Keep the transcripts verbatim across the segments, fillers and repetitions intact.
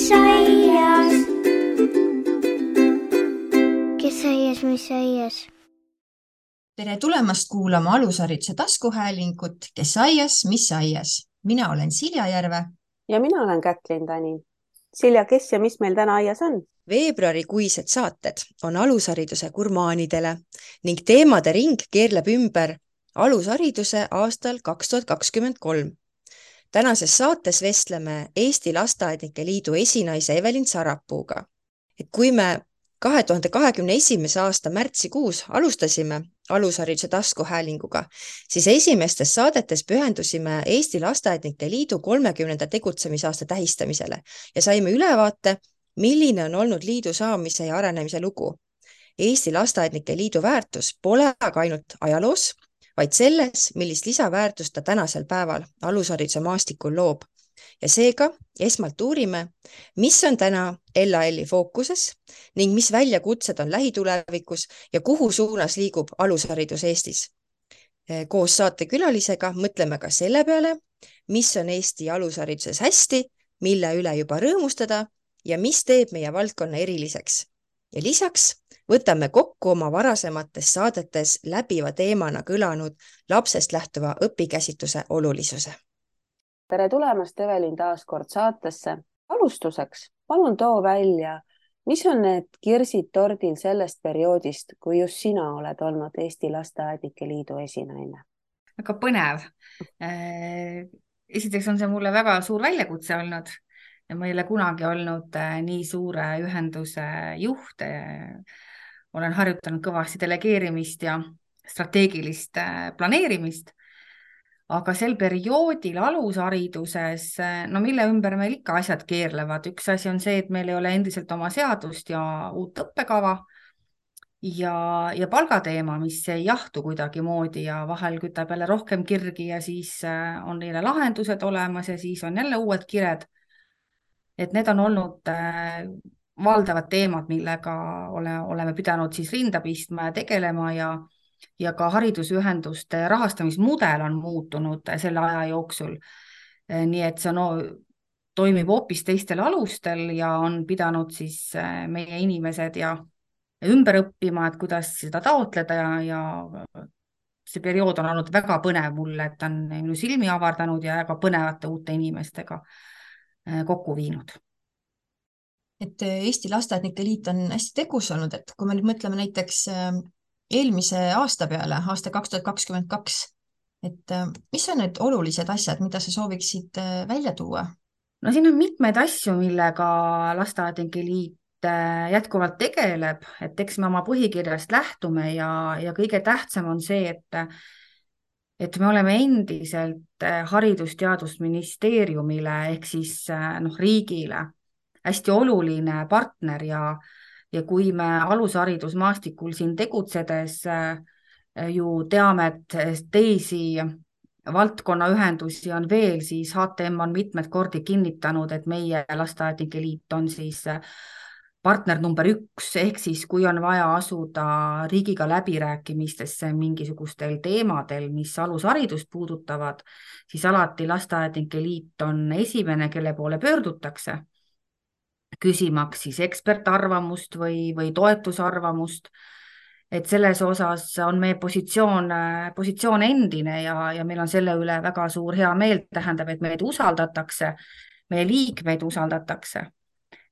mis aias? Kes aias, mis aias? Tere tulemast kuulama alushariduse taskuhäälingut, kes aias, mis aias. Mina olen Silja Järve. Ja mina olen Kätlin Tani. Silja, kes ja mis meil täna aias on? Veebruarikuised saated on alushariduse gurmaanidele ning teemade ring keerleb ümber alushariduse aastal kaks tuhat kakskümmend kolm. Tänases saates vestleme Eesti Lasteaednike Liidu esinaise Evelin Sarapuuga. Et kui me kahe tuhande kahekümne esimese aasta märtsikuus alustasime alushariduse taskuhäälinguga, siis esimestes saadetes pühendusime Eesti Lasteaednike Liidu kolmekümnenda tegutsemisaasta tähistamisele ja saime ülevaate, milline on olnud liidu saamise ja arenemise lugu. Eesti Lasteaednike Liidu väärtus pole aga ainult ajaloos, vaid selles, millist lisaväärtust ta tänasel päeval alushariduse maastikul loob. Ja seega esmalt uurime, mis on täna L A L-i fookuses ning mis väljakutsed on lähitulevikus ja kuhu suunas liigub alusharidus Eestis. Koos saatekülalisega mõtleme ka selle peale, mis on Eesti alushariduses hästi, mille üle juba rõõmustada ja mis teeb meie valdkonna eriliseks. Ja lisaks võtame kokku oma varasemates saadetes läbiva teemana kõlanud lapsest lähtuva õpikäsitluse olulisuse. Tere tulemast, Evelin, taas kord saatesse. Alustuseks palun too välja, mis on need kirsid tordil sellest perioodist, kui just sina oled olnud Eesti Lasteaednike Liidu esinaine? Väga põnev. Esiteks on see mulle väga suur väljakutse olnud. Ja ma ei ole kunagi olnud nii suure ühenduse juht. Olen harjutanud kõvasti delegeerimist ja strateegilist planeerimist. Aga sel perioodil alushariduses, no mille ümber meil ikka asjad keerlevad. Üks asi on see, et meil ei ole endiselt oma seadust ja uut õppekava ja, ja palgateema, mis ei jahtu kuidagi moodi ja vahel kütab jälle rohkem kirgi ja siis on neile lahendused olemas ja siis on jälle uued kired. Et need on olnud valdavad teemad, millega ole, oleme pidanud siis rinda pistma ja tegelema ja ja ka haridusühenduste rahastamismudel on muutunud selle aja jooksul. Nii et see no, toimib hoopis teistel alustel ja on pidanud siis meie inimesed ja ümber õppima, et kuidas seda taotleda ja, ja see periood on olnud väga põnev mulle, et on minu silmi avardanud ja väga põnevate uute inimestega kokku viinud. Et Eesti Lasteaednike Liit on hästi tegus olnud, et kui me nüüd mõtleme näiteks eelmise aasta peale, aasta kaks tuhat kakskümmend kaks, et mis on need olulised asjad, mida sa sooviksid välja tuua? No siin on mitmeid asju, millega Lasteaednike Liit jätkuvalt tegeleb, et eks me oma põhikirjast lähtume ja, ja kõige tähtsam on see, et, et me oleme endiselt Haridus-Teadusministeeriumile ehk siis noh, riigile hästi oluline partner ja Ja kui me alusharidusmaastikul siin tegutsedes ju teame, et teisi valdkonnaühendusi on veel, siis H T M on mitmed kordi kinnitanud, et meie Lasteaednike Liit on siis partner number üks, ehk siis kui on vaja asuda riigiga läbirääkimistesse mingisugustel teemadel, mis alusharidust puudutavad, siis alati Lasteaednike Liit on esimene, kelle poole pöördutakse küsimaks siis ekspertarvamust või, või toetusarvamust, et selles osas on meie positsioon, positsioon endine ja, ja meil on selle üle väga suur hea meel, tähendab, et meid usaldatakse, meie liikmeid usaldatakse,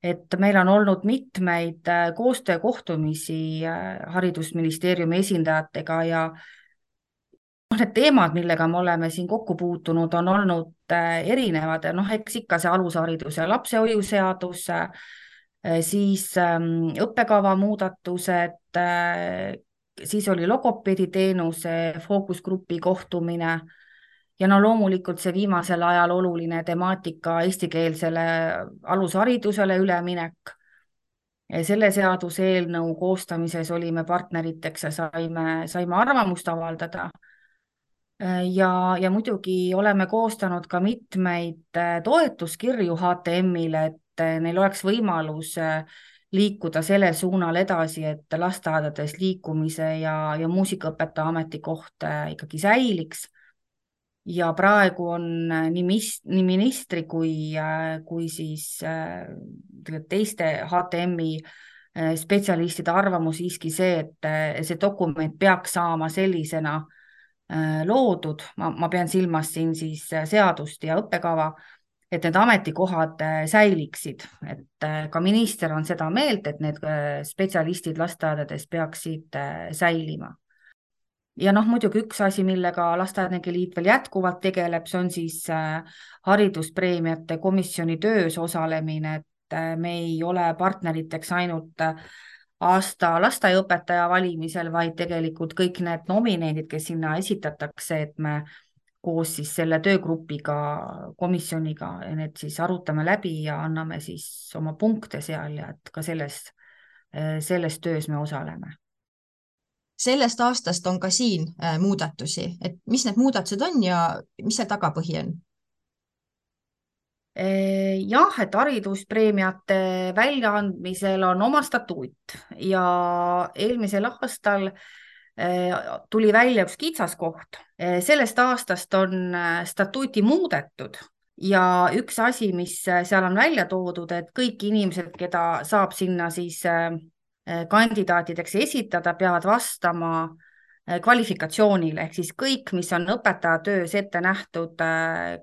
et meil on olnud mitmeid koostöökohtumisi Haridusministeeriumi esindajatega ja need teemad, millega me oleme siin kokku puutunud, on olnud erinevad. Noh, eks ikka see alusharidus ja lapsehoiuseadus, siis õppekava muudatused, siis oli logopeediteenuse fookusgrupi kohtumine ja no loomulikult see viimasel ajal oluline temaatika eestikeelsele alusharidusele üleminek. Selle seaduse eelnõu koostamises olime partneriteks ja saime, saime arvamust avaldada. Ja, ja muidugi oleme koostanud ka mitmeid toetuskirju H T M-ile, et neil oleks võimalus liikuda selle suunal edasi, et lasteaedades liikumise ja, ja muusikaõpetaja ametikoht ikkagi säiliks. ja praegu on nii, mis, nii ministri kui, kui siis teiste H T M-i spetsialistide arvamus siiski see, et see dokument peaks saama sellisena loodud, ma, ma pean silmas siin siis seadust ja õppekava, et need ametikohad säiliksid, et ka minister on seda meelt, et need spetsialistid lasteaedades peaksid säilima. Ja noh, muidugi üks asi, millega Lasteaednike Liit veel jätkuvalt tegeleb, see on siis hariduspreemiate komisjoni töös osalemine, et me ei ole partneriteks ainult aasta lasteaiaõpetaja valimisel, vaid tegelikult kõik need nomineendid, kes sinna esitatakse, et me koos siis selle töögrupiga, komisjoniga, need siis arutame läbi ja anname siis oma punkte seal ja et ka selles, selles töös me osaleme. Sellest aastast on ka siin muudatusi, et mis need muudatused on ja mis see tagapõhi on? Jah, et hariduspreemiate väljaandmisel on oma statuut ja eelmisel aastal tuli välja üks kitsaskoht. Sellest aastast on statuuti muudetud ja üks asi, mis seal on välja toodud, et kõik inimesed, keda saab sinna siis kandidaatideks esitada, peavad vastama kvalifikatsioonile, ehk siis kõik, mis on õpetaja töös ette nähtud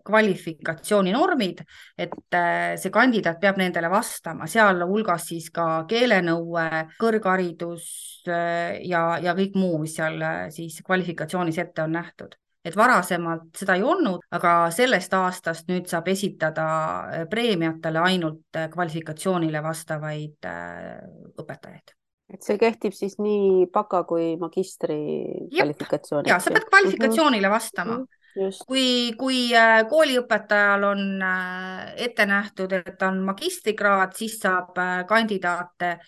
kvalifikatsiooninormid, et see kandidaat peab nendele vastama, seal hulgas siis ka keelenõue, kõrgharidus ja, ja kõik muu, mis seal siis kvalifikatsioonis ette on nähtud. Et varasemalt seda ei olnud, aga sellest aastast nüüd saab esitada preemiatele ainult kvalifikatsioonile vastavaid õpetajaid. Et see kehtib siis nii baka kui magistri kvalifikatsiooni. Ja, sa pead kvalifikatsioonile vastama. Just. Kui, kui kooliõpetajal on ette nähtud, et on magistrikraad, siis saab kandidaate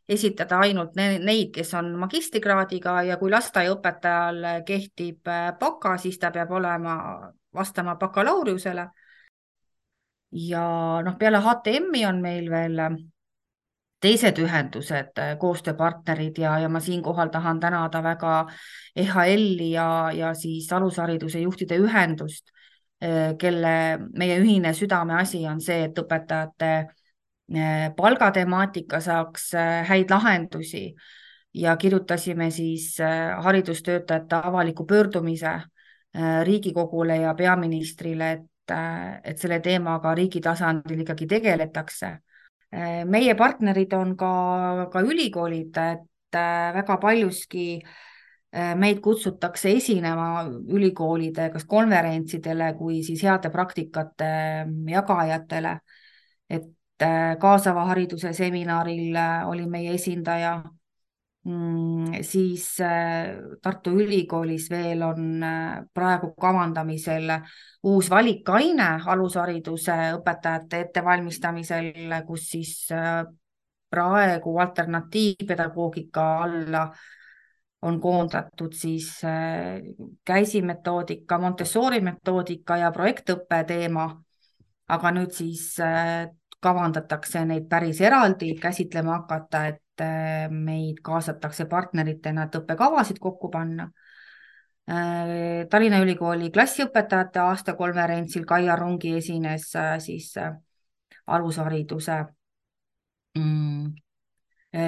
esitada ainult neid, kes on magistrikraadiga ja kui lasteaiaõpetajal kehtib baka, siis ta peab olema vastama bakalaureusele. Ja noh, peale H T M-i on meil veel teised ühendused, koostööpartnerid ja, ja ma siinkohal tahan tänada väga E H L-i ja, ja siis alushariduse juhtide ühendust, kelle meie ühine südameasi on see, et õpetajate palgatemaatika saaks häid lahendusi ja kirjutasime siis haridustöötajate avaliku pöördumise Riigikogule ja peaministrile, et, et selle teemaga riigi tasandil ikkagi tegeletakse. Meie partnerid on ka, ka ülikoolid, et väga paljuski meid kutsutakse esinema ülikoolide kas konverentsidele kui siis heade praktikate jagajatele, et kaasava hariduse seminaril oli meie esindaja, siis Tartu Ülikoolis veel on praegu kavandamisel uus valikaine alushariduse õpetajate ettevalmistamisel, kus siis praegu alternatiivpedagoogika alla on koondatud siis käisimetoodika, Montessori metoodika ja projektõppe teema, aga nüüd siis kavandatakse neid päris eraldi käsitlema hakata, et meid kaasatakse partneritena, et õppekavasid kokku panna. Tallinna Ülikooli klassiõpetajate aastakonverentsil Kaia Rungi esines siis alushariduse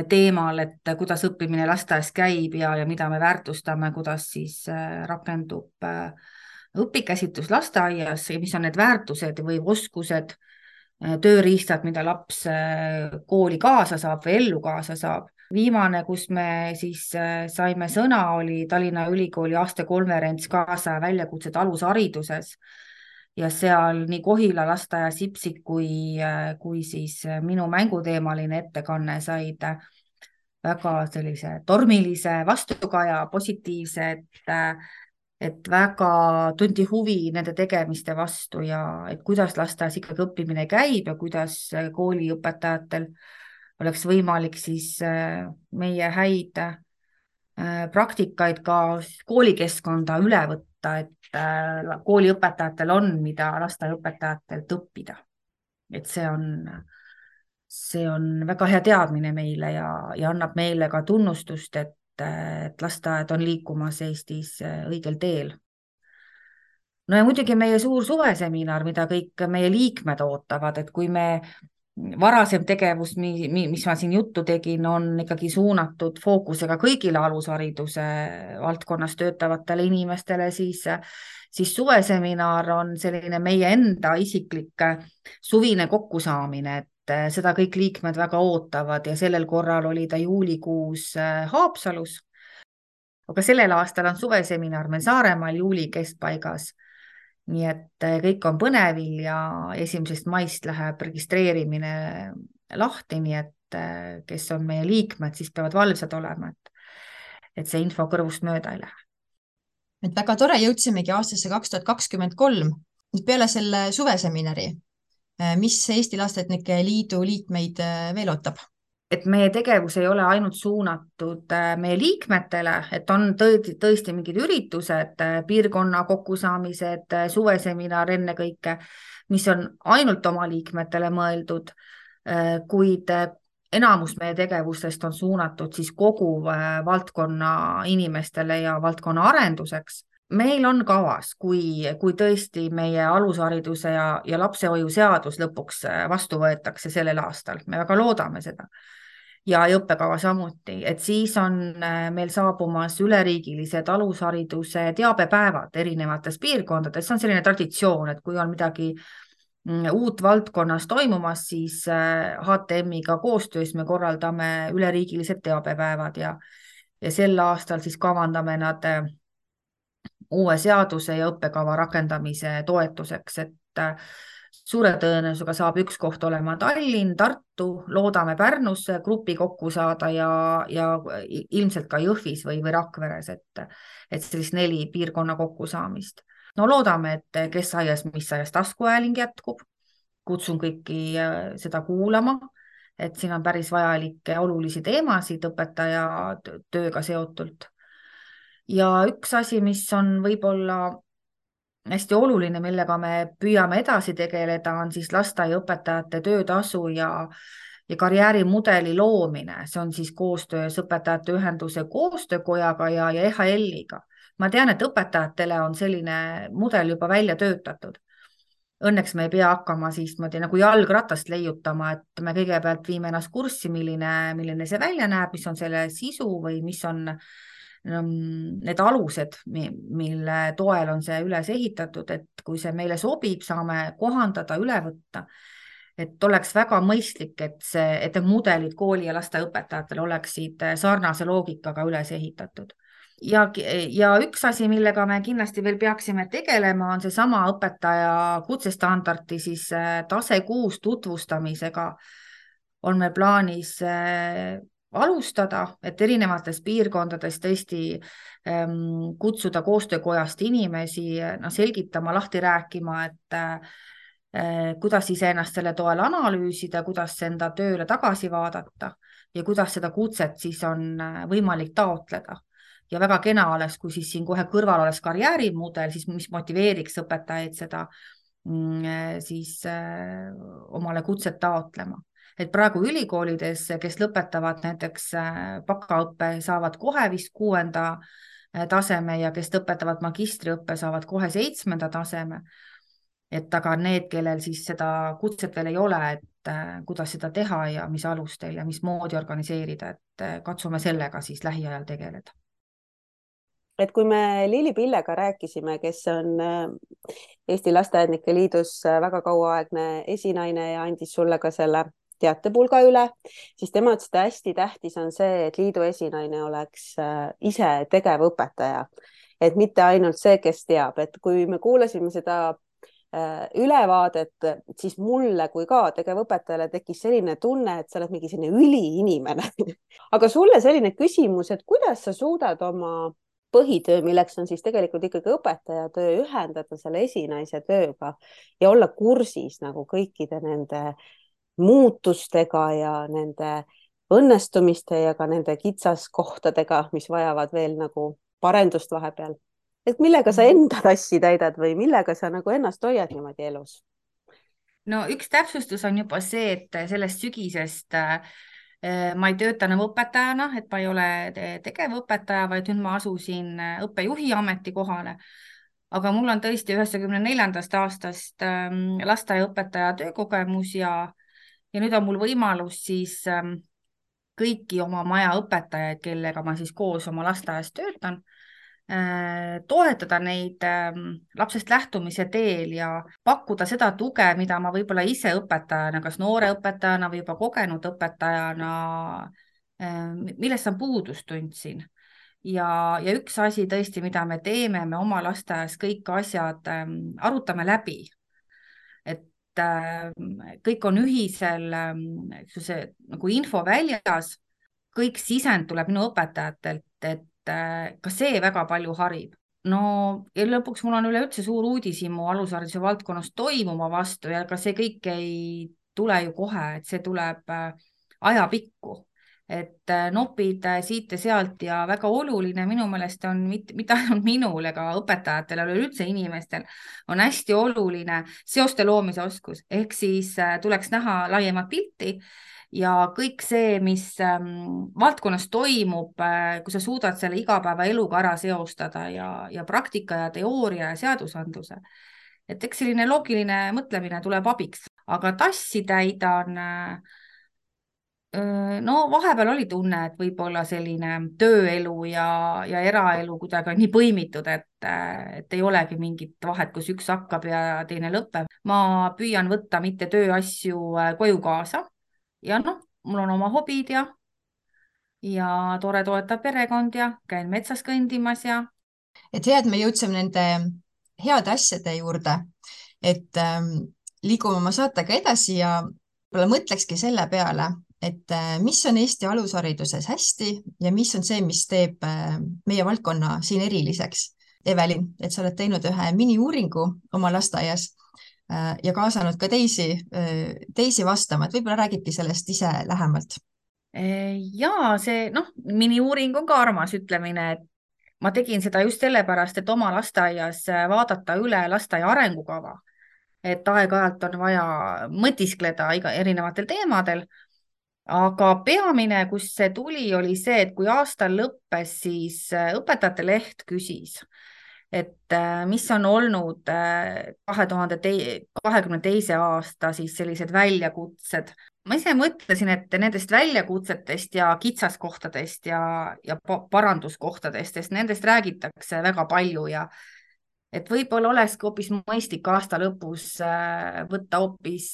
teemal, et kuidas õppimine lasteaias käib ja, ja mida me väärtustame, kuidas siis rakendub õpikäsitlus lasteaias ja mis on need väärtused või oskused, tööriistad, mida laps kooli kaasa saab või ellu kaasa saab. Viimane, kus me siis saime sõna, oli Tallinna Ülikooli aastakonverents kaasa väljakutsed alushariduses ja seal nii Kohila lasteaia Sipsik kui, kui siis minu mänguteemaline ettekanne said väga sellise tormilise vastukaja, positiivse, et et väga tunti huvi nende tegemiste vastu ja et kuidas lasteaias ikkagi õppimine käib ja kuidas kooliõpetajatel oleks võimalik siis meie häid praktikaid ka koolikeskkonda üle võtta, et kooliõpetajatel on, mida lasteaiaõpetajatelt õppida. Et see on, see on väga hea teadmine meile ja, ja annab meile ka tunnustust, et et lasteaed on liikumas Eestis õigel teel. no ja muidugi meie suur suveseminar, mida kõik meie liikmed ootavad, et kui me varasem tegevus, mis ma siin juttu tegin, on ikkagi suunatud fookusega kõigile alushariduse valdkonnas töötavatele inimestele, siis, siis suveseminar on selline meie enda isiklik suvine kokkusaamine, et seda kõik liikmed väga ootavad ja sellel korral oli ta juulikuus Haapsalus. Aga sellel aastal on suveseminar meil Saaremaal juuli keskpaigas. Nii et kõik on põnevil ja esimesest maist läheb registreerimine lahti, nii et kes on meie liikmed, siis peavad valvsad olema, et, et see info kõrvust mööda ei lähe. Et väga tore, jõudsimegi aastasse kaks tuhat kakskümmend kolm. Peale selle suveseminari, mis Eesti Lasteaednike Liidu liikmeid veel ootab? Et meie tegevus ei ole ainult suunatud meie liikmetele, et on tõesti, tõesti mingid üritused, piirkonna kokkusaamised, suveseminar enne kõike, mis on ainult oma liikmetele mõeldud, kuid enamus meie tegevustest on suunatud siis kogu valdkonna inimestele ja valdkonna arenduseks. Meil on kavas, kui, kui tõesti meie alushariduse ja, ja lapsehoiu seadus lõpuks vastu võetakse sellel aastal, me väga loodame seda. Ja õppekava samuti, et siis on meil saabumas üleriigilised alushariduse teabepäevad erinevates piirkondades. See on selline traditsioon, et kui on midagi uut valdkonnas toimumas, siis H T M-iga koostöös me korraldame üleriigilised teabepäevad ja, ja sel aastal siis kavandame nad uue seaduse ja õppekava rakendamise toetuseks, et suure tõenäosusega saab üks koht olema Tallinn, Tartu, loodame Pärnusse grupi kokku saada ja, ja ilmselt ka Jõhvis või, või Rakveres, et, et sellist neli piirkonna kokkusaamist. No loodame, et kes aias, mis aias taskuhääling jätkub. Kutsun kõiki seda kuulama, et siin on päris vajalikke olulisi teemasid õpetaja tööga seotult. Ja üks asi, mis on võib-olla hästi oluline, millega me püüame edasi tegeleda, on siis lasteaiaõpetajate töötasu ja, ja karjäärimudeli loomine. See on siis koostöös õpetajate ühenduse koostöökojaga ja, ja E H L-iga. Ma tean, et õpetajatele on selline mudel juba välja töötatud. Õnneks me ei pea hakkama siis nagu jalgratast leiutama, et me kõigepealt viime ennast kurssi, milline, milline see välja näeb, mis on selle sisu või mis on need alused, mille toel on see üles ehitatud, et kui see meile sobib, saame kohandada, üle võtta, et oleks väga mõistlik, et, see, et need mudelid kooli ja lasteaiaõpetajatel oleksid sarnase loogikaga üles ehitatud. Ja, ja üks asi, millega me kindlasti veel peaksime tegelema, on see sama õpetaja kutsestandardi siis tase kuus tutvustamisega on meil plaanis alustada, et erinevates piirkondades tõesti ähm, kutsuda koostöökojast inimesi no, selgitama, lahti rääkima, et äh, kuidas iseennast selle toel analüüsida, kuidas enda tööle tagasi vaadata ja kuidas seda kutset siis on võimalik taotleda. Ja väga kena oleks, kui siis siin kohe kõrval oleks karjäärimudel, siis mis motiveeriks õpetajaid seda mm, siis äh, omale kutset taotlema. Et praegu ülikoolides, kes lõpetavad näiteks bakaõppe, saavad kohe vist kuuenda taseme ja kes lõpetavad magistriõppe, saavad kohe seitsmenda taseme. Et aga need, kellel siis seda kutset veel ei ole, et kuidas seda teha ja mis alustel ja mis moodi organiseerida, et katsume sellega siis lähiajal tegeleda. Et kui me Lili Pillega rääkisime, kes on Eesti Lasteaednike Liidus väga kauaaegne esinaine ja andis sulle ka selle teatepulga üle, siis tema ütles, et hästi tähtis on see, et liidu esinaine oleks ise tegevõpetaja, et mitte ainult see, kes teab, et kui me kuulasime seda ülevaadet, siis mulle kui ka tegevõpetajale tekkis selline tunne, et sa oled mingi selline üliinimene. Aga sulle selline küsimus, et kuidas sa suudad oma põhitöö, milleks on siis tegelikult ikkagi õpetaja töö, ühendada selle esinaise tööga ja olla kursis nagu kõikide nende muutustega ja nende õnnestumiste ja ka nende kitsaskohtadega, mis vajavad veel nagu parendust vahepeal. Et millega sa enda tassi täidad või millega sa nagu ennast hoiad niimoodi elus? No üks täpsustus on juba see, et sellest sügisest ma ei tööta enam õpetajana, et ma ei ole tegevõpetaja, vaid nüüd ma asusin õppejuhi ametikohale. aga mul on tõesti üheksakümne neljandast aastast ähm, lasteaiaõpetaja töökogemus ja, ja nüüd on mul võimalus siis ähm, kõiki oma maja õpetajaid, kellega ma siis koos oma lasteaias töötan, äh, toetada neid ähm, lapsest lähtumise teel ja pakkuda seda tuge, mida ma võib-olla ise õpetajana, kas noore õpetajana või juba kogenud õpetajana, äh, millest ma puudust tundsin. Ja, ja üks asi tõesti, mida me teeme, me oma lasteaias kõik asjad ähm, arutame läbi, et ähm, kõik on ühisel ähm, see, nagu info väljas, kõik sisend tuleb minu õpetajatelt, et äh, ka see väga palju harib. No ja lõpuks mul on üleüldse suur uudishimu alushariduse valdkonnas toimuma vastu ja ka see kõik ei tule ju kohe, et see tuleb äh, ajapikku. Et nopid siit ja sealt ja väga oluline minu meelest on mitte, mitte ainult minul ega õpetajatel, aga üldse inimestel on hästi oluline seoste loomise oskus, ehk siis tuleks näha laiemat pilti ja kõik see, mis ähm, valdkonnas toimub, äh, kui sa suudad selle igapäevaeluga ära seostada ja, ja praktika ja teooria ja seadusandluse. Et eks selline loogiline mõtlemine tuleb abiks, aga tassi täidan äh, no vahepeal oli tunne, et võib-olla selline tööelu ja, ja eraelu kuidagi on nii põimitud, et, et ei olegi mingit vahet, kus üks hakkab ja teine lõpeb. Ma püüan võtta mitte tööasju koju kaasa ja noh, mul on oma hobid ja, ja tore toetav perekond ja käin metsas kõndimas ja. Et hea, et me jõudsime nende heade asjade juurde, et ähm, liigume oma saatega edasi ja mõtlekski selle peale, et mis on Eesti alushariduses hästi ja mis on see, mis teeb meie valdkonna siin eriliseks. Evelin, et sa oled teinud ühe mini-uuringu oma lasteaias ja kaasanud ka teisi, teisi vastama, et võib-olla räägidki sellest ise lähemalt. Ja see noh, mini-uuring on ka armas ütlemine, et ma tegin seda just sellepärast, et oma lasteaias vaadata üle lasteaia arengukava, et aeg-ajalt on vaja mõtiskleda iga erinevatel teemadel. Aga peamine, kus see tuli, oli see, et kui aastal lõppes, siis õpetajate leht küsis, et mis on olnud kahe tuhande kahekümne teise aasta siis sellised väljakutsed. Ma ise mõtlesin, et nendest väljakutsetest ja kitsaskohtadest ja, ja paranduskohtadest, sest nendest räägitakse väga palju ja et võib-olla oleski hoopis mõistlik aasta lõpus võtta hoopis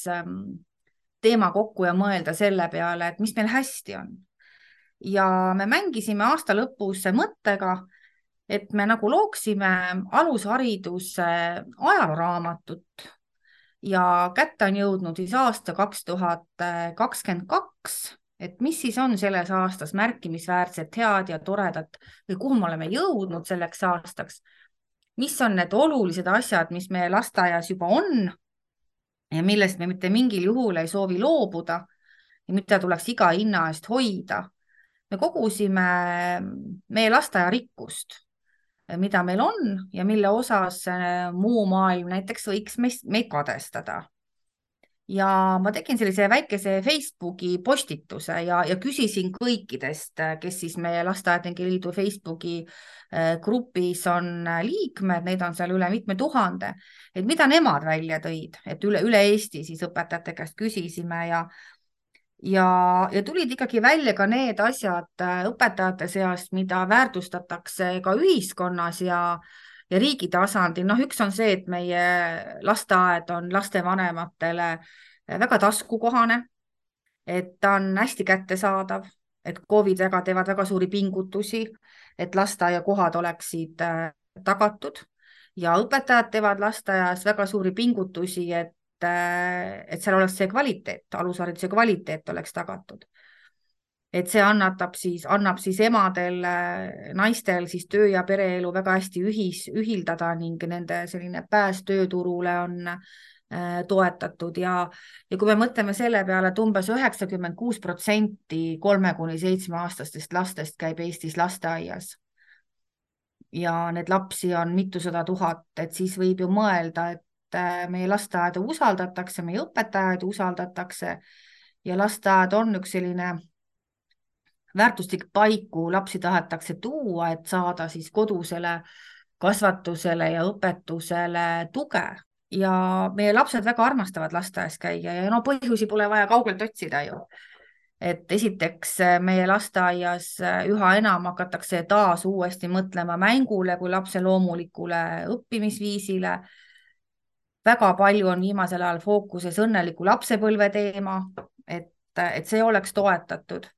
teema kokku ja mõelda selle peale, et mis meil hästi on. Ja me mängisime aasta lõpus mõttega, et me nagu looksime alushariduse ajalooraamatut ja kätte on jõudnud siis aasta kaks tuhat kakskümmend kaks, et mis siis on selles aastas märkimisväärset, head ja toredat või kuhu me oleme jõudnud selleks aastaks. Mis on need olulised asjad, mis meie lasteaias juba on ja millest me mitte mingil juhul ei soovi loobuda ja mida tuleks iga hinna eest hoida. Me kogusime meie lasteaia rikkust, mida meil on ja mille osas muu maailm näiteks võiks meid kadestada. Ja ma tegin sellise väikese Facebooki postituse ja, ja küsisin kõikidest, kes siis meie Lasteaednike Liidu Facebooki grupis on liikmed, neid on seal üle mitme tuhande, et mida nemad välja tõid, et üle, üle Eesti siis õpetajate käest küsisime ja, ja, ja tulid ikkagi välja ka need asjad õpetajate seast, mida väärtustatakse ka ühiskonnas ja ja riigi tasandil. Noh, üks on see, et meie lasteaed on lastevanematele väga taskukohane, et ta on hästi kättesaadav, et KOV-id väga teevad väga suuri pingutusi, et lasteaiakohad oleksid tagatud ja õpetajad teevad lasteaias väga suuri pingutusi, et, et seal oleks see kvaliteet, alushariduse kvaliteet oleks tagatud. Et see annatab siis, annab siis emadel, naistel siis töö ja pereelu väga hästi ühis, ühildada ning nende selline pääs tööturule on äh, toetatud ja, ja kui me mõtleme selle peale, et umbes üheksakümmend kuus protsenti kolme kuni seitsme aastastest lastest käib Eestis lasteaias ja need lapsi on mitusada tuhat, et siis võib ju mõelda, et äh, meie lasteaeda usaldatakse, meie õpetajaid usaldatakse ja lasteaed on üks selline väärtuslik paik, kuhu lapsi tahetakse tuua, et saada siis kodusele kasvatusele ja õpetusele tuge ja meie lapsed väga armastavad lasteaias käia ja no põhjusi pole vaja kaugelt otsida ju. Et esiteks meie lasteaias üha enam hakatakse taas uuesti mõtlema mängule kui lapse loomulikule õppimisviisile. Väga palju on viimasel ajal fookuses õnneliku lapsepõlve teema, et, et see oleks toetatud.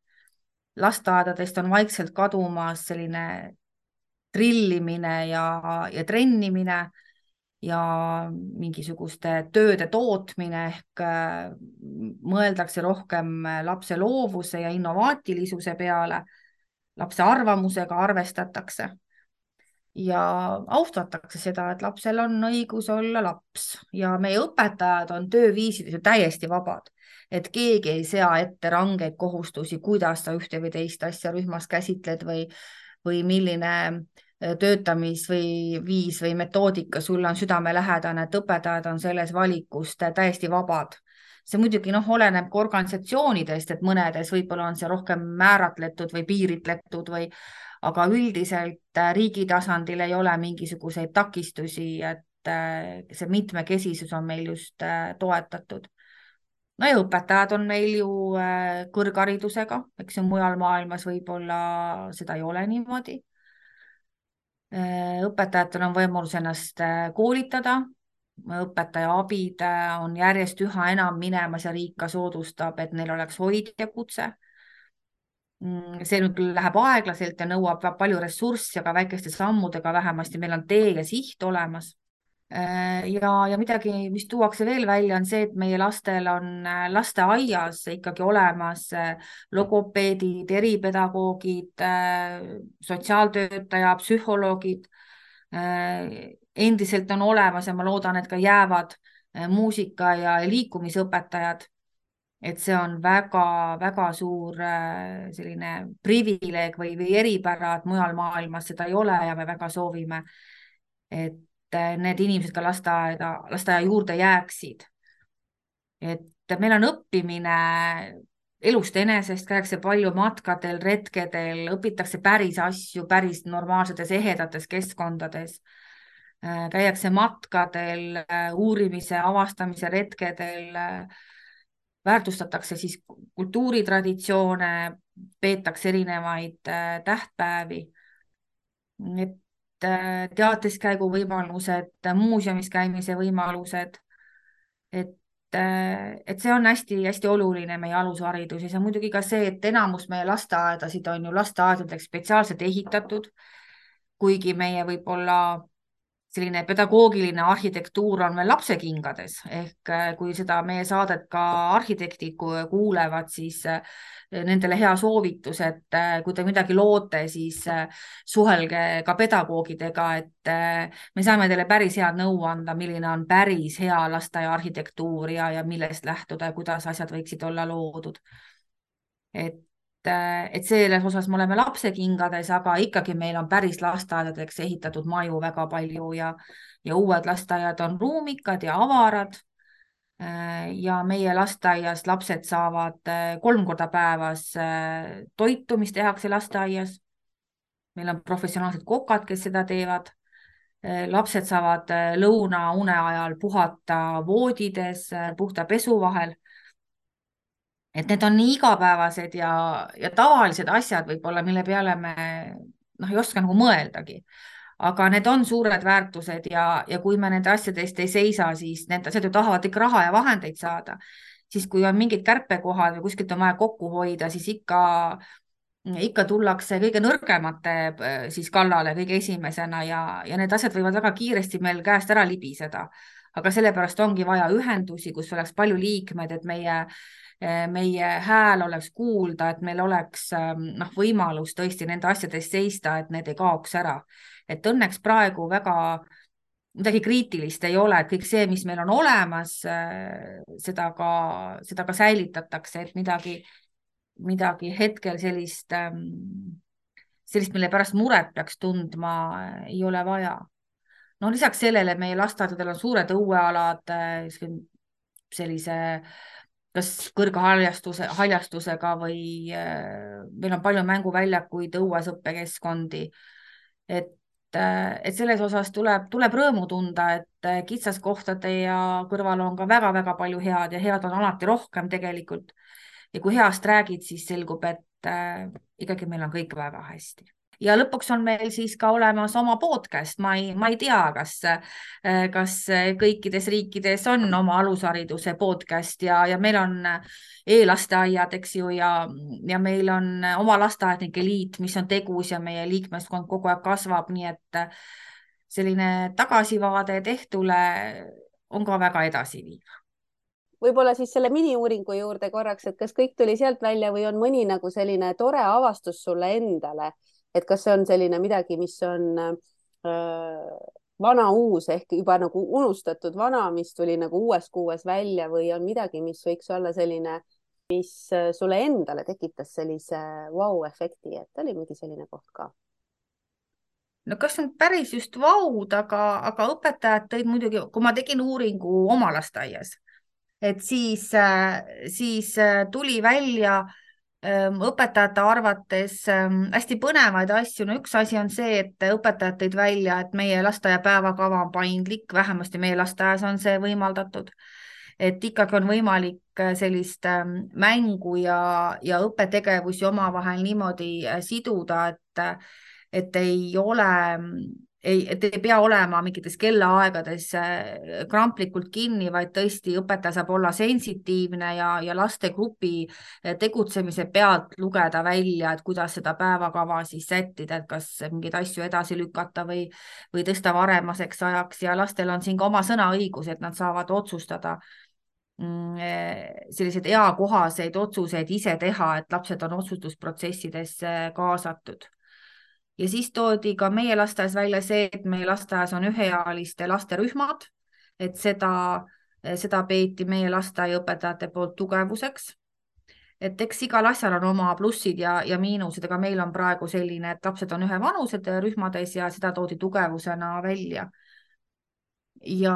Lasteaedadest on vaikselt kadumas selline trillimine ja, ja trennimine ja mingisuguste tööde tootmine ehk mõeldakse rohkem lapse loovuse ja innovaatilisuse peale, lapse arvamusega arvestatakse ja austatakse seda, et lapsel on õigus olla laps ja meie õpetajad on tööviisides ju täiesti vabad, et keegi ei sea ette rangeid kohustusi, kuidas sa ühte või teist asja rühmas käsitled või, või milline töötamis või viis või metoodika sulle on südamelähedane, et õpetajad on selles valikust täiesti vabad. See muidugi noh, oleneb ka organisatsioonidest, et mõnedes võib-olla on see rohkem määratletud või piiritletud või aga üldiselt riigi tasandil ei ole mingisuguseid takistusi, et see mitmekesisus on meil just toetatud. No ja õpetajad on meil ju kõrgharidusega, eks ju mujal maailmas võib-olla seda ei ole niimoodi. Õpetajatel on võimalus ennast koolitada, õpetaja abid on järjest üha enam minemas ja riik ka soodustab, et neil oleks hoidja kutse. See nüüd küll läheb aeglaselt ja nõuab palju ressurssi, aga väikeste sammudega vähemasti meil on tee ja siht olemas. Ja, ja midagi, mis tuuakse veel välja, on see, et meie lastel on lasteaias ikkagi olemas logopeedid, eripedagoogid, sotsiaaltöötaja, psühholoogid. Endiselt on olemas ja ma loodan, et ka jäävad muusika ja liikumisõpetajad. Et see on väga-väga suur selline privileeg või, või eripära, et mujal maailmas seda ei ole ja me väga soovime, et need inimesed ka lasteaeda, lasteaia juurde jääksid. Et meil on õppimine elust enesest, käiakse palju matkadel, retkedel, õpitakse päris asju, päris normaalsetes ehedates keskkondades. Käiakse matkadel, uurimise, avastamise retkedel, väärtustatakse siis kultuuritraditsioone, peetakse erinevaid tähtpäevi, et teatriskäigu võimalused, muuseumis käimise võimalused, et, et see on hästi-hästi oluline meie alushariduses ja muidugi ka see, et enamus meie lasteaedasid on ju lasteaedadeks spetsiaalselt ehitatud, kuigi meie võib-olla selline pedagoogiline arhitektuur on veel lapsekingades ehk kui seda meie saadet ka arhitektid kuulevad, siis nendele hea soovitus, et kui te midagi loote, siis suhelge ka pedagoogidega, et me saame teile päris head nõu anda, milline on päris hea lasteaia arhitektuur ja, ja millest lähtuda ja kuidas asjad võiksid olla loodud. Et et selles osas me oleme lapsekingades, aga ikkagi meil on päris lasteaedadeks ehitatud maju väga palju ja, ja uued lasteaiad on ruumikad ja avarad ja meie lasteaias lapsed saavad kolm korda päevas toitu, mis tehakse lasteaias. Meil on professionaalsed kokad, kes seda teevad. Lapsed saavad lõuna une ajal puhata voodides, puhta pesu vahel. Et need on nii igapäevased ja, ja tavalised asjad võib-olla, mille peale me noh, ei oska nagu mõeldagi. Aga need on suured väärtused ja, ja kui me nende asjadest ei seisa, siis need asjad ju tahavad ikka raha ja vahendeid saada. Siis kui on mingid kärpekohad või kuskilt on vaja kokku hoida, siis ikka, ikka tullakse kõige nõrgemate siis kallale kõige esimesena ja, ja need asjad võivad väga kiiresti meil käest ära libiseda. Aga sellepärast ongi vaja ühendusi, kus oleks palju liikmed, et meie meie hääl oleks kuulda, et meil oleks noh, võimalus tõesti nende asjadest seista, et need ei kaoks ära. Et õnneks praegu väga midagi kriitilist ei ole, et kõik see, mis meil on olemas, seda ka, seda ka säilitatakse, et midagi, midagi hetkel sellist, sellist, mille pärast muret peaks tundma, ei ole vaja. No lisaks sellele meie lasteaedadel on suured õuealad, sellise kas kõrge haljastuse, haljastusega või meil on palju mänguväljakuid, õues õppekeskkondi. Et et selles osas tuleb, tuleb rõõmu tunda, et kitsaskohtade ja kõrval on ka väga-väga palju head ja head on alati rohkem tegelikult. Ja kui heast räägid, siis selgub, et äh, ikkagi meil on kõik väga hästi. Ja lõpuks on meil siis ka olemas oma podcast. Ma ei, ma ei tea, kas, kas kõikides riikides on oma alushariduse podcast ja, ja meil on e-lasteaiad, eks ju, ja, ja meil on oma lasteaednike liit, mis on tegus ja meie liikmeskond kogu aeg kasvab, nii et selline tagasivaade tehtule on ka väga edasiviiv. Võib-olla siis selle mini-uuringu juurde korraks, et kas kõik tuli sealt välja või on mõni nagu selline tore avastus sulle endale, et kas see on selline midagi, mis on äh, vana uus ehk juba nagu unustatud vana, mis tuli nagu uues kuues välja või on midagi, mis võiks olla selline, mis sulle endale tekitas sellise vau-efekti, et oli mingi selline koht ka? No kas nüüd päris just vaud, aga, aga õpetajad tõid muidugi, kui ma tegin uuringu oma lasteaias, et siis, siis tuli välja õpetajate arvates hästi põnevaid asju. No üks asi on see, et õpetajad tõid välja, et meie lasteaia päevakava on paindlik, vähemasti meie lasteaias on see võimaldatud, et ikkagi on võimalik sellist mängu ja, ja õppetegevusi omavahel niimoodi siduda, et, et ei ole ei, et ei pea olema mingites kellaaegades kramplikult kinni, vaid tõesti õpetaja saab olla sensitiivne ja, ja lastegrupi tegutsemise pealt lugeda välja, et kuidas seda päevakava siis sättida, et kas mingeid asju edasi lükata või, või tõsta varemaseks ajaks ja lastel on siin ka oma sõnaõigus, et nad saavad otsustada selliseid eakohaseid otsuseid ise teha, et lapsed on otsustusprotsessidesse kaasatud. Ja siis toodi ka meie lasteaias välja see, et meie lasteaias on üheealiste lasterühmad, et seda, seda peeti meie lasteaiaõpetajate poolt tugevuseks. Et eks igal asjal on oma plussid ja, ja miinused, aga meil on praegu selline, et lapsed on ühe vanused rühmades ja seda toodi tugevusena välja. Ja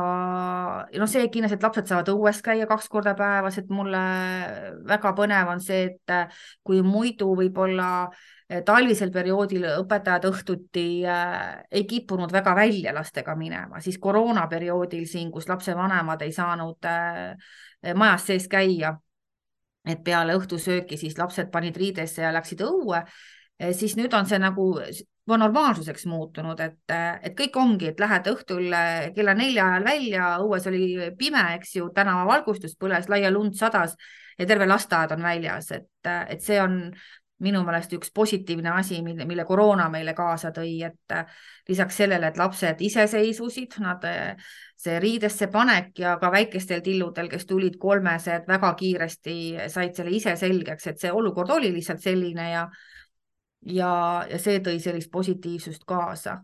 no see kindlasti, et lapsed saavad õues käia kaks korda päevas, et mulle väga põnev on see, et kui muidu võib-olla talvisel perioodil õpetajad õhtuti äh, ei kippunud väga välja lastega minema, siis koroonaperioodil siin, kus lapsevanemad ei saanud äh, majas sees käia, et peale õhtusööki siis lapsed panid riidesse ja läksid õue, siis nüüd on see nagu normaalsuseks muutunud, et, et kõik ongi, et lähed õhtul kella nelja ajal välja, õues oli pime, eks ju, tänava valgustus põles, laia lund sadas ja terve lasteaed on väljas, et, et see on minu meelest üks positiivne asi, mille, mille koroona meile kaasa tõi, et lisaks sellele, et lapsed iseseisvusid, nad see riidesse panek ja ka väikestel tilludel, kes tulid kolmesed, väga kiiresti said selle ise selgeks, et see olukord oli lihtsalt selline ja ja, ja see tõi sellist positiivsust kaasa.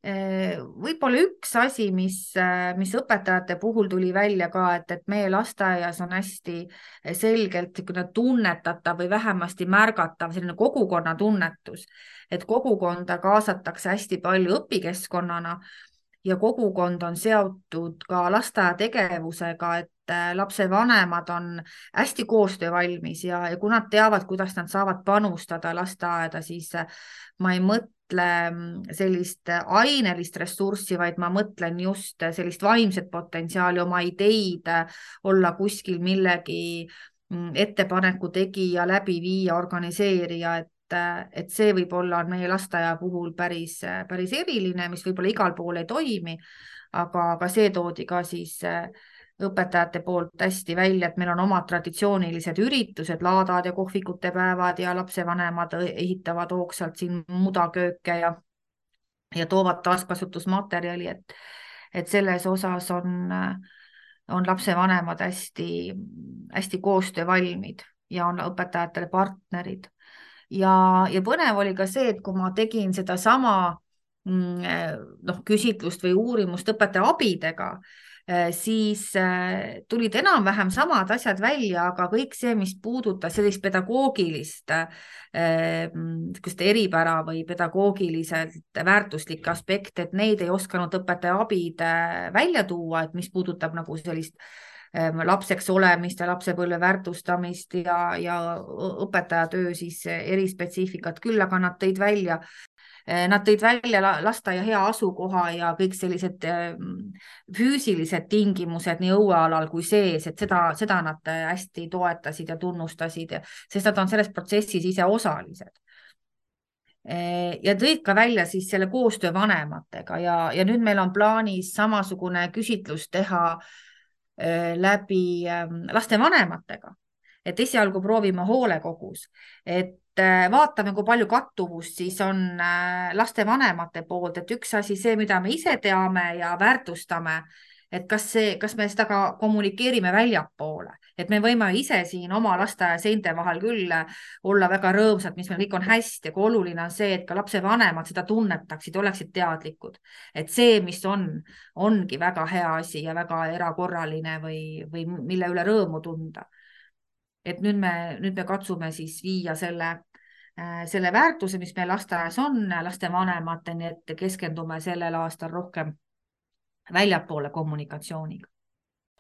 Võib-olla üks asi, mis, mis õpetajate puhul tuli välja ka, et, et meie lasteaias on hästi selgelt tunnetatav või vähemasti märgatav selline kogukonna tunnetus, et kogukonda kaasatakse hästi palju õpikeskkonnana ja kogukond on seotud ka lasteaia tegevusega, et lapsevanemad on hästi koostöövalmis ja, ja kui nad teavad, kuidas nad saavad panustada lasteaeda, siis ma ei mõtle sellist ainelist ressurssi, vaid ma mõtlen just sellist vaimset potentsiaali, oma ideid, olla kuskil millegi ettepaneku tegija, läbi viia, organiseerija, et, et see võib-olla on meie lasteaia puhul päris, päris eriline, mis võib-olla igal pool ei toimi, aga, aga see toodi ka siis õpetajate poolt hästi välja, et meil on omad traditsioonilised üritused, laadad ja kohvikute päevad ja lapsevanemad ehitavad hoogsalt siin mudakööke ja, ja toovad taaskasutusmaterjali, et, et selles osas on, on lapsevanemad hästi, hästi koostöövalmid ja on õpetajatele partnerid. Ja, ja põnev oli ka see, et kui ma tegin seda sama noh, küsitlust või uurimust õpetaja abidega, siis tulid enam-vähem samad asjad välja, aga kõik see, mis puudutas sellist pedagoogilist eripära või pedagoogiliselt väärtuslikke aspekte, et neid ei osanud õpetaja abid välja tuua, et mis puudutab nagu sellist lapseks olemist ja lapsepõlve väärtustamist ja, ja õpetaja töö siis erispetsiifikat küll, aga nad tõid välja Nad tõid välja lasteaia hea asukoha ja kõik sellised füüsilised tingimused nii õuealal kui sees, et seda, seda nad hästi toetasid ja tunnustasid, sest nad on selles protsessis ise osalised. Ja tõid ka välja siis selle koostöö vanematega ja, ja nüüd meil on plaanis samasugune küsitlus teha läbi laste vanematega, et esialgu proovime hoolekogus, et vaatame, kui palju kattuvust siis on laste vanemate poolt, et üks asi see, mida me ise teame ja väärtustame, et kas, see, kas me seda ka kommunikeerime väljapoole, et me võime ise siin oma lasteaia seinte vahel küll olla väga rõõmsad, mis meil kõik on hästi, aga oluline on see, et ka lapse vanemad seda tunnetaksid, oleksid teadlikud, et see, mis on, ongi väga hea asi ja väga erakorraline või, või mille üle rõõmu tunda. Et nüüd me, nüüd me katsume siis viia selle, selle väärtuse, mis meil lasteaias on, laste vanemateni, et keskendume sellel aastal rohkem väljapoole kommunikatsiooniga.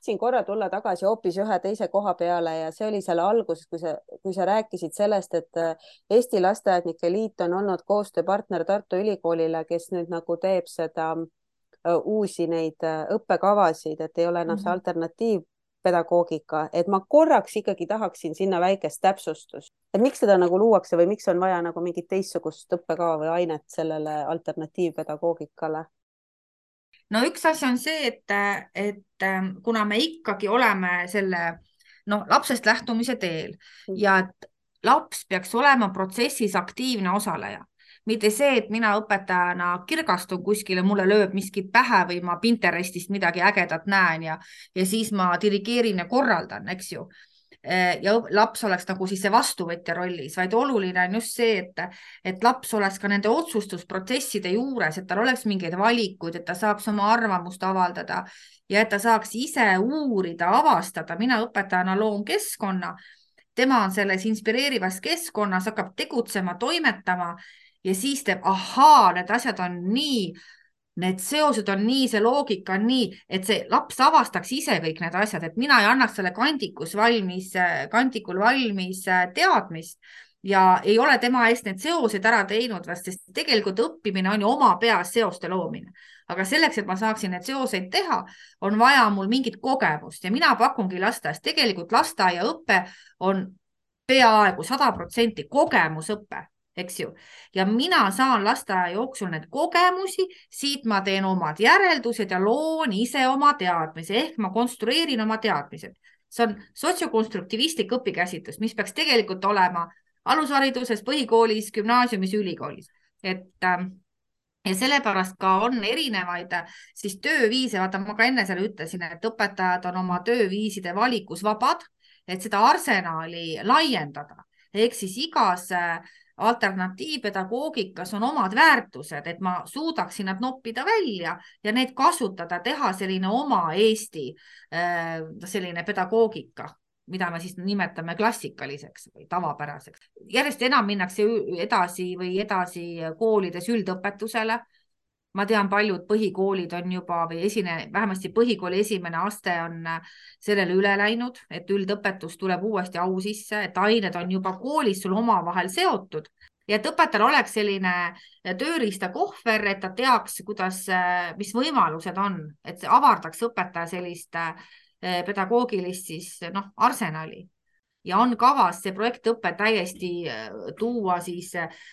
Siin korra tulla tagasi hoopis ühe teise koha peale ja see oli selle alguses, kui sa, kui sa rääkisid sellest, et Eesti Lasteaednike Liit on olnud koostööpartner Tartu Ülikoolile, kes nüüd nagu teeb seda uusi neid õppekavasid, et ei ole enam see alternatiiv pedagoogika, et ma korraks ikkagi tahaksin sinna väikest täpsustust, et miks seda nagu luuakse või miks on vaja nagu mingit teistsugust õppekava või ainet sellele alternatiivpedagoogikale? No üks asi on see, et, et kuna me ikkagi oleme selle no, lapsest lähtumise teel ja et laps peaks olema protsessis aktiivne osaleja, mitte see, et mina õpetajana kirgastun kuskile, mulle lööb miski pähe või ma Pinterestist midagi ägedat näen ja, ja siis ma dirigeerin ja korraldan, eks ju. Ja laps oleks nagu siis see vastuvõtja rollis, vaid oluline on just see, et, et laps oleks ka nende otsustusprotsesside juures, et tal oleks mingeid valikuid, et ta saaks oma arvamust avaldada ja et ta saaks ise uurida, avastada. Mina õpetajana loon keskkonna, tema on selles inspireerivas keskkonnas, hakkab tegutsema, toimetama ja siis teeb, ahaa, need asjad on nii, need seosed on nii, see loogika on nii, et see laps avastaks ise kõik need asjad, et mina ei annaks selle kandikus valmis, kandikul valmis teadmist ja ei ole tema eest need seosed ära teinud, sest tegelikult õppimine on ju oma peas seoste loomine. Aga selleks, et ma saaksin need seoseid teha, on vaja mul mingit kogemust ja mina pakungi lasteaias. Tegelikult lasteaia õppe on peaaegu sada protsenti kogemusõppe. Eks ju. Ja mina saan lasteaia jooksul need kogemusi, siit ma teen omad järeldused ja loon ise oma teadmise, ehk ma konstrueerin oma teadmised. See on sotsiokonstruktivistlik õpikäsitlus, mis peaks tegelikult olema alushariduses, põhikoolis, gümnaasiumis, ülikoolis. Et, ja sellepärast ka on erinevaid siis tööviise, vaata ma ka enne selle ütlesin, et õpetajad on oma tööviiside valikus vabad, et seda arsenali laiendada. Ehk siis igas alternatiivpedagoogikas on omad väärtused, et ma suudaksin nad noppida välja ja neid kasutada, teha selline oma Eesti selline pedagoogika, mida me siis nimetame klassikaliseks või tavapäraseks. Järjest enam minnakse edasi või edasi koolides üldõpetusele. Ma tean, paljud põhikoolid on juba või esine, vähemasti põhikooli esimene aste on sellele üle läinud, et üldõpetus tuleb uuesti au sisse, et ained on juba koolis sul oma vahel seotud ja et õpetajal oleks selline tööriista kohver, et ta teaks, kuidas, mis võimalused on, et avardaks õpetaja sellist pedagoogilist siis, noh, arsenali. Ja on kavas see projektõpe täiesti tuua siis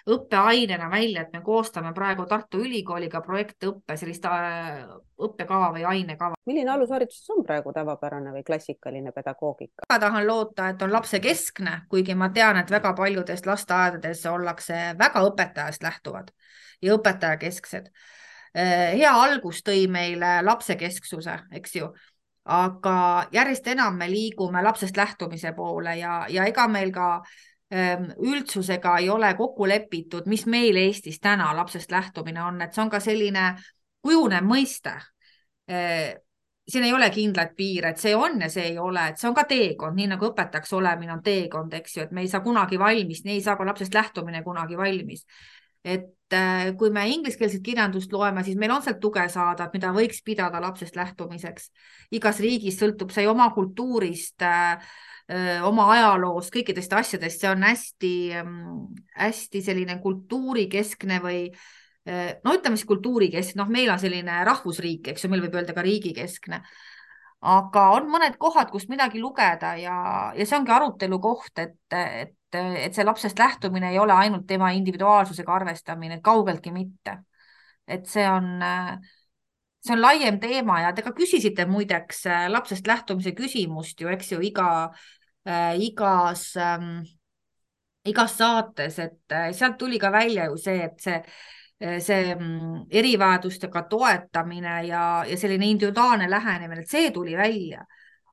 õppeainena välja, et me koostame praegu Tartu Ülikooliga projektõppe, sellist õppekava või ainekava. Milline alushariduses on praegu tavapärane või klassikaline pedagoogika? Ma tahan loota, et on lapse keskne, kuigi ma tean, et väga paljudest lasteaedades ollakse väga õpetajast lähtuvad ja õpetaja kesksed. Hea algus tõi meile lapse kesksuse, eks ju. Aga järjest enam me liigume lapsest lähtumise poole ja, ja ega meil ka üldsusega ei ole kokku lepitud, mis meil Eestis täna lapsest lähtumine on, et see on ka selline kujunev mõiste. Siin ei ole kindlat piir, et see on ja see ei ole, et see on ka teekond, nii nagu õpetajaks olemine on teekond, eks ju, et me ei saa kunagi valmis, nii ei saa ka lapsest lähtumine kunagi valmis. Et kui me ingliskeelset kirjandust loeme, siis meil on sealt tuge saada, mida võiks pidada lapsest lähtumiseks. Igas riigis sõltub see oma kultuurist, oma ajaloost, kõikidest asjadest. See on hästi, hästi selline kultuurikeskne või no ütleme siis kultuurikeskne, noh, meil on selline rahvusriik, eks ju, meil võib öelda ka riigikeskne, aga on mõned kohad, kus midagi lugeda ja, ja see ongi arutelu koht, et, et, et see lapsest lähtumine ei ole ainult tema individuaalsusega arvestamine, kaugeltki mitte. Et see on, see on laiem teema ja te ka küsisite muideks lapsest lähtumise küsimust ju, eks ju, iga, igas, igas saates, et sealt tuli ka välja ju see, et see see erivajadustega toetamine ja, ja selline individuaalne lähenemine, et see tuli välja.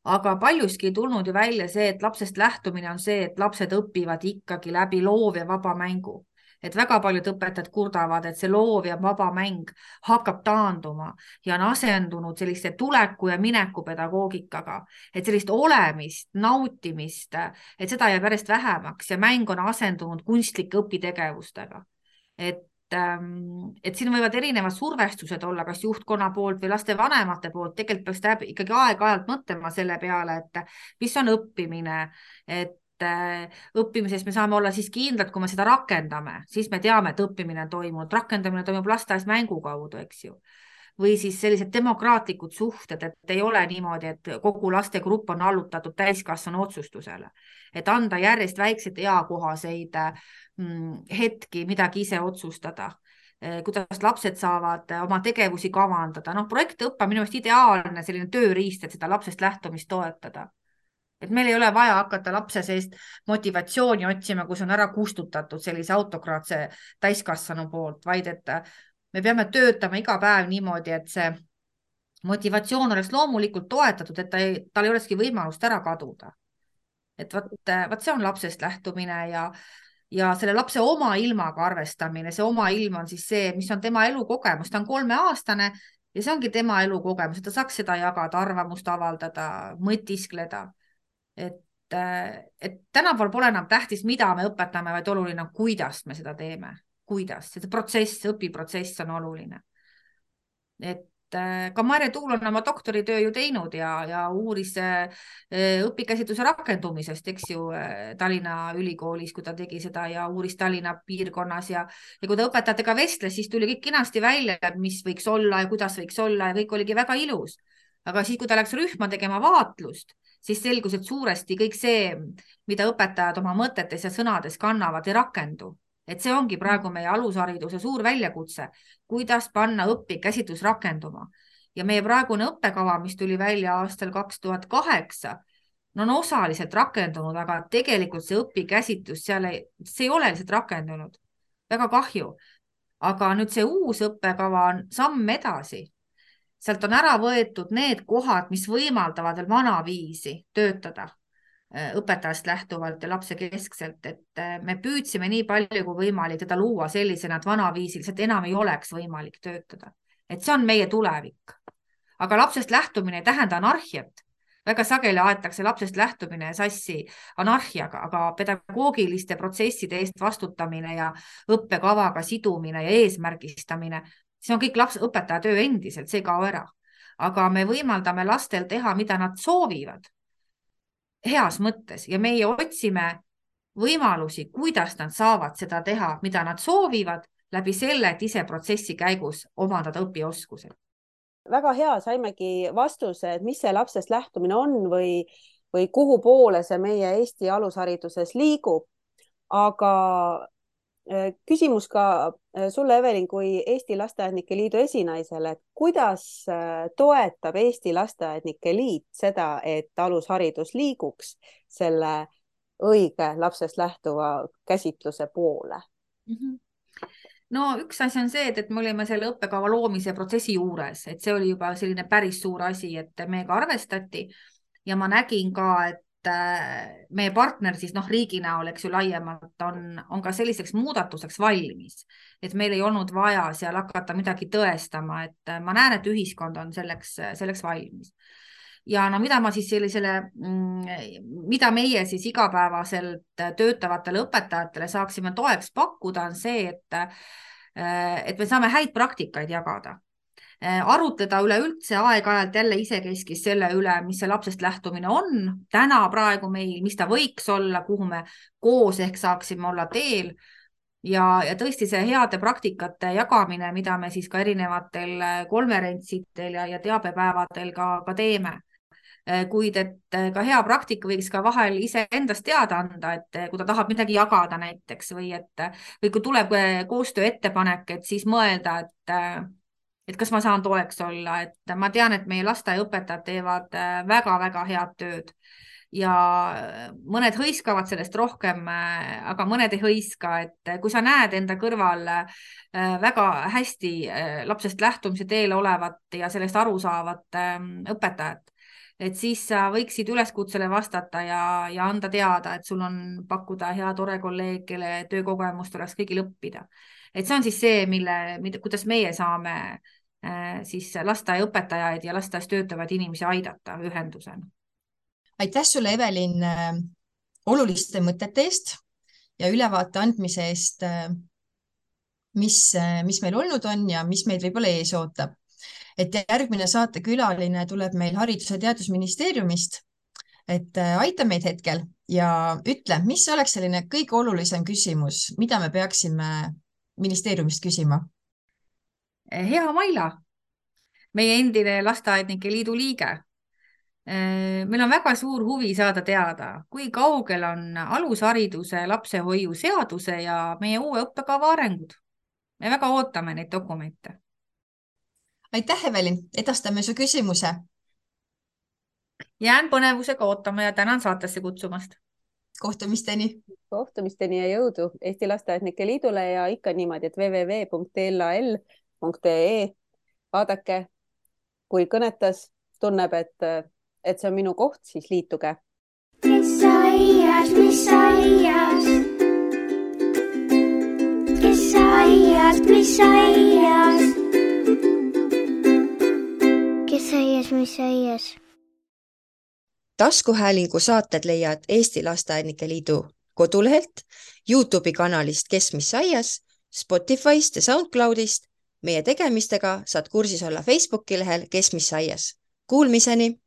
Aga paljuski ei tulnud ju välja see, et lapsest lähtumine on see, et lapsed õpivad ikkagi läbi loov ja vaba mängu. Et väga paljud õpetajad kurdavad, et see loov ja vaba mäng hakkab taanduma ja on asendunud selliste tuleku ja mineku pedagoogikaga. Et sellist olemist, nautimist, et seda jääb järjest vähemaks ja mäng on asendunud kunstlike õpitegevustega. Et et siin võivad erinevad survestused olla, kas juhtkonna poolt või laste vanemate poolt, tegelikult peaks täheb ikkagi aeg-ajalt mõtlema selle peale, et mis on õppimine, et õppimises me saame olla siis kindlad, kui me seda rakendame, siis me teame, et õppimine on toimunud, rakendamine toimub lasteaias mängu kaudu, eks ju. Või siis sellised demokraatlikud suhted, et ei ole niimoodi, et kogu lastegrupp on allutatud täiskasvanu otsustusele, et anda järjest väikseid eakohaseid hetki midagi ise otsustada, kuidas lapsed saavad oma tegevusi kavandada. Noh, projektõppe on minu meelest ideaalne selline tööriist, et seda lapsest lähtumist toetada. Et meil ei ole vaja hakata lapse seest motivatsiooni otsima, kus on ära kustutatud sellise autokraatse täiskasvanu poolt, vaid et me peame töötama iga päev niimoodi, et see motivatsioon oleks loomulikult toetatud, et ta ei, tal ei olekski võimalust ära kaduda. Et võt, võt see on lapsest lähtumine ja ja selle lapse oma ilmaga arvestamine, see oma ilm on siis see, mis on tema elukogemus, ta on kolmeaastane ja see ongi tema elukogemus, et ta saaks seda jagada, arvamust avaldada, mõtiskleda. Et, et tänapäeval pole enam tähtis, mida me õpetame, vaid oluline on, kuidas me seda teeme, kuidas, see protsess, õpiprotsess on oluline. Et ka Marje Tuul on oma doktoritöö ju teinud ja, ja uuris õpikäsitluse rakendumisest, eks ju, Tallinna ülikoolis, kui ta tegi seda ja uuris Tallinna piirkonnas ja, ja kui ta õpetajatega vestles, siis tuli kõik kinasti välja, mis võiks olla ja kuidas võiks olla ja kõik oligi väga ilus. Aga siis, kui ta läks rühma tegema vaatlust, siis selgus, et suuresti kõik see, mida õpetajad oma mõtetes ja sõnades kannavad, ei rakendu. Et see ongi praegu meie alushariduse suur väljakutse, kuidas panna õpikäsitlus rakenduma. Ja meie praegune õppekava, mis tuli välja aastal kaks tuhat kaheksa, no on osaliselt rakendunud, aga tegelikult see õpikäsitlus seal ei, see ei ole lihtsalt rakendunud. Väga kahju. Aga nüüd see uus õppekava on samm edasi. Sealt on ära võetud need kohad, mis võimaldavad veel vana viisi töötada õpetajast lähtuvalt ja lapse keskselt, et me püüdsime nii palju kui võimalik teda luua sellisena, et vana viisil, et enam ei oleks võimalik töötada. Et see on meie tulevik. Aga lapsest lähtumine ei tähenda anarhiat. Väga sageli aetakse lapsest lähtumine sassi anarhiaga, aga pedagoogiliste protsesside eest vastutamine ja õppekavaga sidumine ja eesmärgistamine, see on kõik laps, õpetaja töö endiselt, see ei kao ära. Aga me võimaldame lastel teha, mida nad soovivad heas mõttes ja meie otsime võimalusi, kuidas nad saavad seda teha, mida nad soovivad läbi selle, et ise protsessi käigus omandada õpioskused. Väga hea, saimegi vastuse, et mis see lapsest lähtumine on või, või kuhu poole see meie Eesti alushariduses liigub. Aga küsimus ka sulle, Evelin, kui Eesti Lasteaednike Liidu esinaisele, et kuidas toetab Eesti Lasteaednike Liit seda, et alusharidus liiguks selle õige lapsest lähtuva käsitluse poole? No üks asi on see, et, et me olime selle õppekava loomise protsessi juures, et see oli juba selline päris suur asi, et meiega arvestati ja ma nägin ka, et meie partner siis noh, riigi näol, eks ju laiemalt on, on ka selliseks muudatuseks valmis, et meil ei olnud vaja seal hakata midagi tõestama, et ma näen, et ühiskond on selleks, selleks valmis. Ja no mida ma siis sellisele, mida meie siis igapäevaselt töötavatele õpetajatele saaksime toeks pakkuda, on see, et, et me saame häid praktikaid jagada. Arutleda üleüldse aeg-ajalt jälle isekeskis selle üle, mis see lapsest lähtumine on täna praegu meil, mis ta võiks olla, kuhu me koos ehk saaksime olla teel ja, ja tõesti see heade praktikate jagamine, mida me siis ka erinevatel konverentsidel ja, ja teabepäevadel ka, ka teeme. Kuid et ka hea praktika võiks ka vahel ise endast teada anda, et kui ta tahab midagi jagada näiteks või et või kui tuleb koostöö ettepanek, et siis mõelda, et, et kas ma saan toeks olla, et ma tean, et meie lasteaiaõpetajad teevad väga-väga head tööd ja mõned hõiskavad sellest rohkem, aga mõned ei hõiska, et kui sa näed enda kõrval väga hästi lapsest lähtumise teel olevat ja sellest aru saavat õpetajat, et siis sa võiksid üleskutsele vastata ja, ja anda teada, et sul on pakkuda hea tore kolleeg, kelle töökogemust oleks kõigil õppida. Et see on siis see, mille, mida, kuidas meie saame äh, siis lasteaiaõpetajaid ja lasteaias töötavaid inimesi aidata ühendusena. Aitäh sulle, Evelin, äh, oluliste mõtete eest ja ülevaate andmise eest, äh, mis, äh, mis meil olnud on ja mis meid võib-olla ees ootab. Et järgmine saatekülaline tuleb meil Haridus- ja Teadusministeeriumist, et aita meid hetkel ja ütle, mis oleks selline kõige olulisem küsimus, mida me peaksime ministeeriumist küsima? Hea Maila, meie endine Lasteaednike Liidu liige. Meil on väga suur huvi saada teada, kui kaugel on alushariduse lapsehoiu seaduse ja meie uue õppekava arengud. Me väga ootame neid dokumente. Aitäh, Evelin, edastame su küsimuse. Jään põnevusega ootama ja tänan saatesse kutsumast. Kohtumisteni. Kohtumisteni ja jõudu Eesti Lasteaednike Liidule ja ikka niimoodi, et double-u double-u double-u punkt l a l punkt e e. Vaadake, kui kõnetas, tunneb, et, et see on minu koht, siis liituge. Kes aias, mis aias? Kes aias, mis aias? Kes aias, mis aias? Taskuhäälingu saated leiad Eesti Lasteaednike Liidu kodulehelt, YouTube'i kanalist Kes mis aias, Spotify'st ja SoundCloud'ist. Meie tegemistega saad kursis olla Facebooki lehel Kes mis aias. Kuulmiseni!